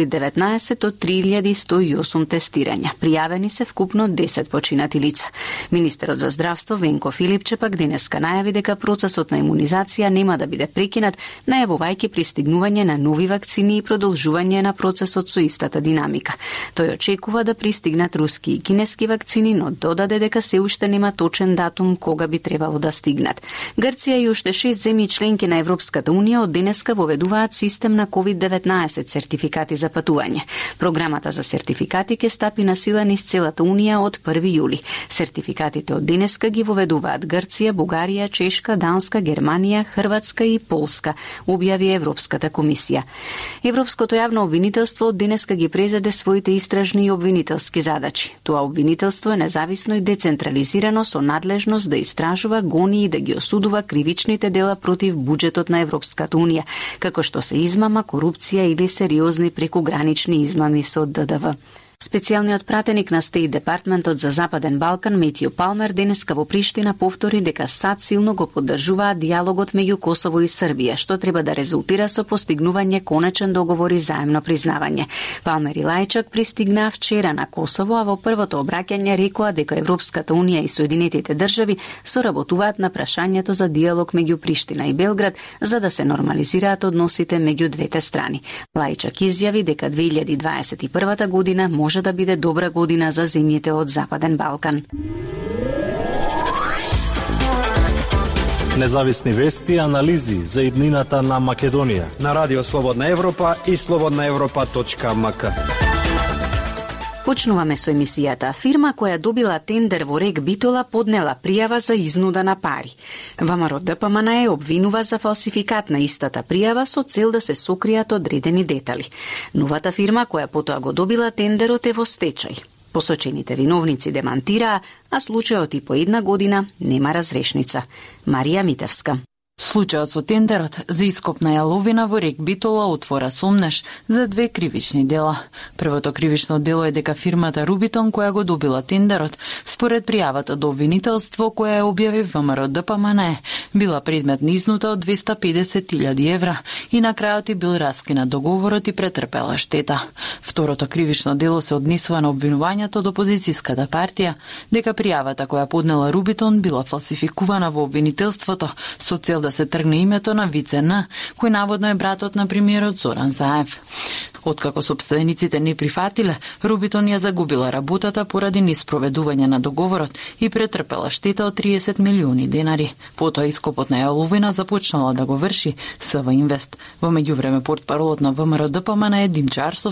COVID-19 од 3108 тестирања. Пријавени се вкупно 10 починати лица. Министерот за здравство Венко Филипче пак денеска најави дека процесот на имунизација нема да биде прекинат, најавувајќи пристигнување на нови вакцини и продолжување на процесот со истата динамика. Тој очекува да пристигнат руски и кинески вакцини, но додаде дека се уште нема точен датум кога би требало да стигнат. Грција и уште 6 земји членки на Европската унија од денеска воведуваат систем на COVID-19 сертификати за патување. Програмата за сертификати ќе стапи на сила низ целата унија од 1 јули. Сертификатите од денеска ги воведуваат Грција, Бугарија, Чешка, Данска, Германија, Хрватска и Полска, објави Европската комисија. Европското јавно обвинителство од денеска ги презеде своите истражни и обвинителски задачи. Тоа обвинителство е независно и децентрализирано со надлежност да истражува, гони и да ги осудува кривичните дела против буџетот на Европската унија, како што се измама, корупција или сериозни прекугранични измами со ДДВ. Специјалниот пратеник на Стейт Департментот за Западен Балкан Метју Палмер денеска во Приштина повтори дека САД силно го поддржуваат диалогот меѓу Косово и Србија, што треба да резултира со постигнување конечен договор и заемно признавање. Палмер и Лајчак пристигнаа вчера на Косово, а во првото обраќање рекоа дека Европската унија и Соединетите држави соработуваат на прашањето за диалог меѓу Приштина и Белград за да се нормализираат односите меѓу двете страни. Лајчак изјави дека 2021 година може да биде добра година за земјите од Западен Балкан. Независни вести и анализи за иднината на Македонија на Радио Слободна Европа и slobodnaevropa.mk. Почнуваме со емисијата. Фирма која добила тендер во Рек Битола поднела пријава за изнуда на пари. ВМРО ДПМНЕ обвинува за фалсификат на истата пријава со цел да се сокријат одредени детали. Новата фирма која потоа го добила тендерот е во стечај. Посочените виновници демантираа, а случајот и по 1 година нема разрешница. Марија Митевска. Случајот со тендерот за ископ на јаловина во Рек Битола отвора сомнеш за 2 кривични дела. Првото кривично дело е дека фирмата Рубитон која го добила тендерот, според пријавата до обвинителство која ја објави ВМРО ДПМНЕ, била предмет на изнута од 250.000 евра и на крајот и бил раскинат договорот и претрпела штета. Второто кривично дело се однесува на обвинувањето од опозицијската партија дека пријавата која поднела Рубитон била фалсификувана во обвинителството со цел да се тргне името на Вице Н, кој наводно е братот на премиерот Зоран Заев. Откако сопствениците не прифатиле, Рубитон ја загубила работата поради неспроведување на договорот и претрпела штета од 30 милиони денари. Потоа ископот на јаловина започнала да го врши СВ Инвест. Во меѓувреме портпаролот на ВМРО ДПМНЕ Димчо Арсовски